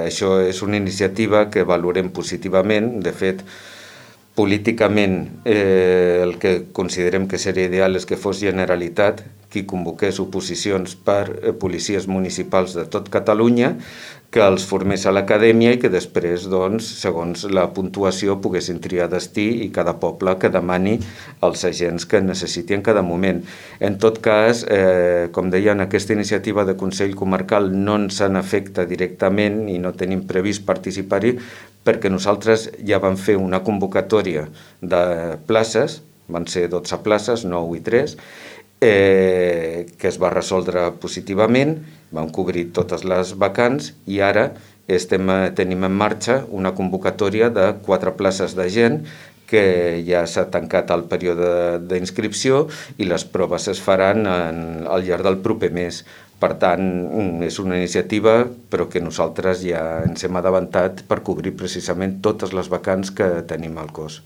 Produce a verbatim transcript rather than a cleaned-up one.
això és una iniciativa que valorem positivament. De fet, políticament eh, el que considerem que seria ideal és que fos Generalitat qui convoqués oposicions per eh, policies municipals de tot Catalunya, que els formés a l'acadèmia i que després, doncs, segons la puntuació, poguessin triar destí i cada poble que demani els agents que necessiti en cada moment. En tot cas, eh, com deia, en aquesta iniciativa de Consell Comarcal no ens en afecta directament i no tenim previst participar-hi, perquè nosaltres ja vam fer una convocatòria de places, van ser dotze places, nou i tres, eh, que es va resoldre positivament, vam cobrir totes les vacants i ara estem, tenim en marxa una convocatòria de quatre places de gent que ja s'ha tancat el període d'inscripció i les proves es faran en, al llarg del proper mes. Per tant, és una iniciativa, però que nosaltres ja ens hem adavantat per cobrir precisament totes les vacants que tenim al cos.